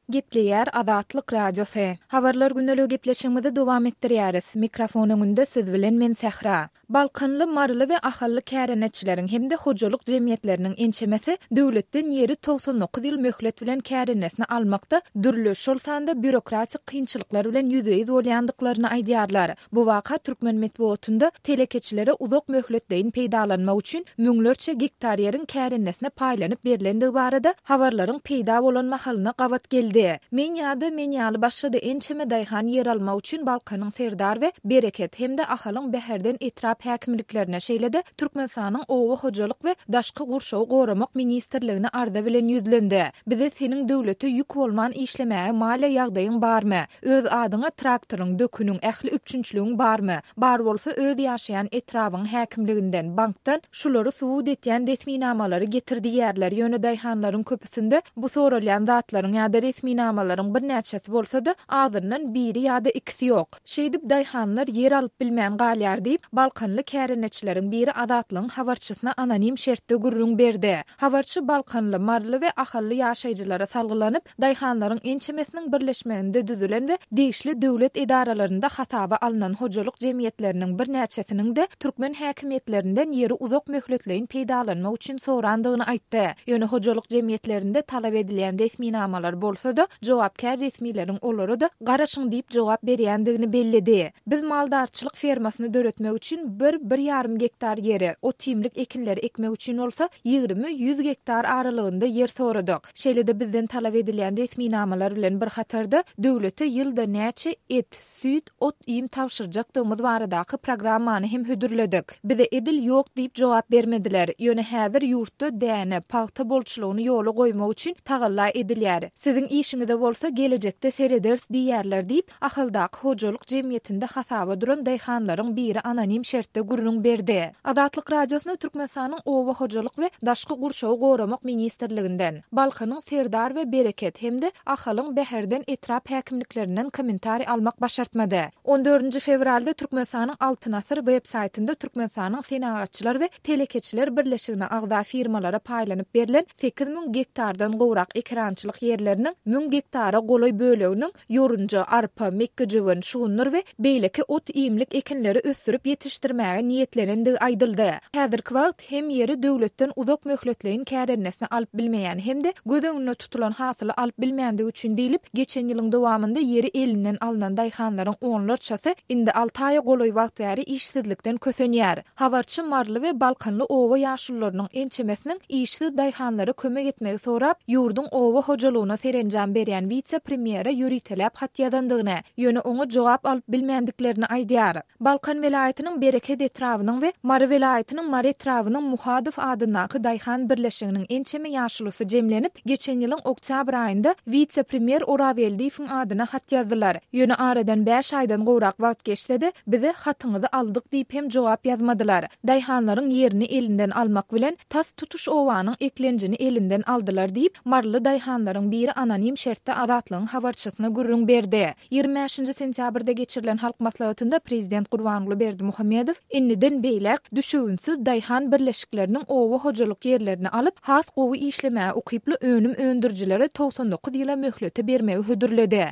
Gepleýär Azatlyk Radiosy. Habarlar gündeligi gepleşigimizi dowam etdirýäris. Mikrofon öňünde siz bilen men Sähra. Balkanly, maryly we ahally kärendeçileriň hem-de hojalyk jemgyýetleriniň ençemesi döwletden ýeri 99 ýyl möhlet bilen kärendesine almakda dürli, şol sanda býurokratik kynçylyklar bilen ýüzbe-ýüz bolýandyklaryny aýdýarlar. Bu waka türkmen metbugatynda telekeçilere uzak möhletleýin peýdalanmak üçin müňlerçe gektar ýeriň kärendesine paýlanyp berlendigi barada habarlaryň peýda bolan mahalyna gabat geldi. Men ýa-da men ýaly başga-da ençeme daýhan ýer almak üçin Balkanyň Serdar we Bereket hem-de Ahalyň Bäherden etrap häkimliklerine, şeýle-de Türkmenistanyň Oba hojalyk we daşky gurşawy goramak ministrligine arza bilen ýüzlendi. Bize seniň döwlete ýük bolman işlemäge maliýe ýagdaýyň barmy? Öz adyňa traktoryň, döküniň, ähli üpjünçiligiň barmy? Bar bolsa öz ýaşaýan etrabyňyň häkimliginden, bankdan şulary subut etýän resminamalary getir diýýärler, ýöne daýhanlaryň köpüsinde bu soralýan zatlaryň ýa-da resminamalaryň birnäçesi bolsa-da, azyndan biri ýa-da ikisi ýok. Şeýdip daýhanlar ýer alyp bilmän galýar diýip, balkanly kärendeçileriň biri Azatlygyň habarçysyna anonim şertde gürrüň berdi. Habarçy balkanly, maryly we ahally ýaşaýjylara salgylanyp, daýhanlaryň ençemesiniň birleşmeginde düzülen we degişli döwlet edaralarynda hasaba alnan hojalyk jemgyýetleriniň birnäçesiniň-de türkmen häkimiýetlerinden ýeri uzak möhletleýin peýdalanmak üçin sorandygyny aýtdy. Ýöne hojalyk jemgyýetlerinde talap edilýän resminamalar bolsa-da, jogapkär resmileriň olara-da garaşyň diýip jogap berýändigini belledi. Biz maldarçylyk fermasyny döretmek üçin bir, bir ýarym gektar ýeri, ot-iýmlik ekinleri ekmek üçin bolsa 20, 100 gektar aralygynda ýer soradyk. Şeýle-de bizden talap edilýän resminamalar bilen bir hatarda döwlete ýylda näçe et, süýt, ot-iým tabşyrjakdygymyz baradaky programmany hem hödürledik. Bize edil ýok diýip jogap bermediler. Ýöne häzir ýurtda däne, pagta bolçulygyny ýola goýmak üçin tagalla edilýär. Siziň işiňize bolsa gelejekde serederis diýýärler diýip, Ahaldaky hojalyk jemgyýetinde hasaba duran daýhanlaryň biri anonim şertde gürrüň berdi. Azatlyk Radiosyna Türkmenistanyň Oba hojalyk we daşky gurşawy goramak ministrliginden, Balkanyň Serdar we Bereket hem-de Ahalyň Bäherden etrap häkimliklerinden kommentariý almak başartmady. On dördünji fewralda Türkmenistanyň Altyn asyr web saýtynda Türkmenistanyň Senagatçylar we telekeçiler birleşigine agza firmalara paýlanyp berlen 8000 gektardan gowrak ekerançylyk ýerleriniň 1000 gektara golaý böleginiň ýorunja, arpa, mekgejöwen, şugundyr we beýleki ot-iýmlik ekinleri ösdürip ýetişdirmäge niýetlenendigi aýdyldy. Häzirki wagt hem ýeri döwletden uzak möhletleýin kärendesine alyp bilmeýän hem-de göz öňünde tutulan hasyly alyp bilmändigi üçin diýlip, geçen ýylyň dowamynda ýeri elinden alnan daýhanlaryň onlarçasy indi alty aýa golaý wagt bäri işsizlikden kösenýär. Habarçy maryly we balkanly oba ýaşulularynyň ençemesiniň işsiz daýhanlara kömek etmegi sorap, ýurduň oba hojalygyna serenjam berýän wise-premýere ýöriteläp hat ýazandygyny, ýöne oňa jogap alyp bilmändiklerini aýdýar. Balkan welaýatynyň Bereket etrabynyň we Mary welaýatynyň Mary etrabynyň Muhadow adyndaky daýhan birleşiginiň ençeme ýaşulusy jemlenip, geçen ýylyň oktýabr aýynda wise-premýer Orazgeldiýewiň adyna hat ýazdylar. Ýöne aradan bäş aýdan gowrak wagt geçse-de, bize hatyňyzy aldyk diýip hem jogap ýazmadylar. Daýhanlaryň ýerini elinden almak bilen, tas tutuş obanyň eklenjini elinden aldylar diýip, maryly daýhanlaryň biri anonim şertde Azatlygyň habarçysyna gürrüň berdi. 25-nji sentýabrda geçirilen Halk Maslahatynda prezident Gurbanguly Berdimuhamedow indiden beýläk düşewüntsiz daýhan birleşikleriniň oba hojalyk ýerlerini alyp, has gowy işlemäge ukyply önüm öndürijilere 99 ýyla möhlete bermegi hödürledi.